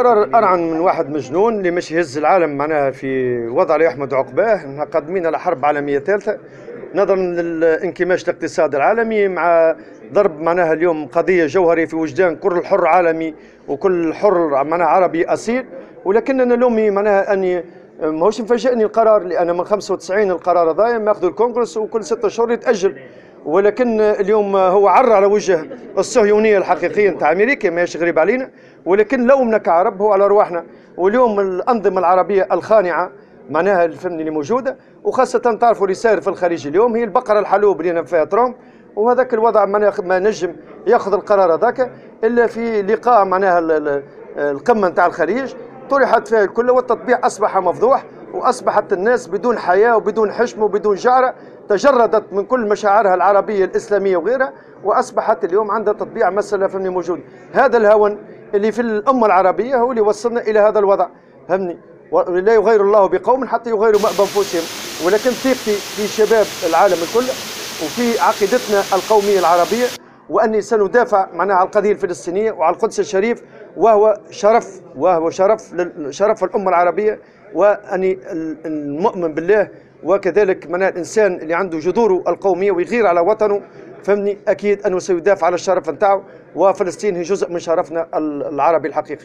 قرار أرعن من واحد مجنون اللي مش يهز العالم معناها في وضع لا يحمد عقباه. قادمين على حرب عالمية ثالثة نظرا للانكماش الاقتصاد العالمي مع ضرب معناها اليوم قضية جوهرية في وجدان كل حر عالمي وكل حر معناها عربي أصيل. ولكننا لومي معناها أني ماهوش مفاجئني القرار، لأن من 95 القرار هذايا ماخذ الكونغرس وكل 6 شهور يتأجل، ولكن اليوم هو عر على وجه الصهيونية الحقيقية نتاع امريكا، ماهيش غريب علينا، ولكن لومنا كعرب هو على ارواحنا. واليوم الانظمة العربية الخانعه معناها الفن اللي موجودة، وخاصة تعرفوا اللي صاير في الخليج اليوم هي البقرة الحلوب اللي فيها ترامب، وهذاك الوضع معناها ما نجم ياخذ القرار هذاك الا في لقاء معناها القمه نتاع الخليج طرحت فيها الكل، والتطبيع اصبح مفضوح، واصبحت الناس بدون حياة وبدون حشم وبدون جعره، تجردت من كل مشاعرها العربية الاسلامية وغيرها، واصبحت اليوم عندها تطبيع مسالة فهمني موجود. هذا الهون اللي في الامة العربية هو اللي وصلنا الى هذا الوضع، فهمني. لا يغير الله بقوم حتى يغيروا ما بانفسهم. ولكن ثقتي في شباب العالم الكل وفي عقيدتنا القومية العربية، واني سندافع معناها على القضية الفلسطينية وعلى القدس الشريف، وهو شرف، وهو شرف شرف الامة العربية، واني المؤمن بالله، وكذلك معناها الانسان اللي عنده جذوره القومية ويغير على وطنه، فهمني، اكيد انه سيدافع على الشرف نتاعو، وفلسطين هي جزء من شرفنا العربي الحقيقي.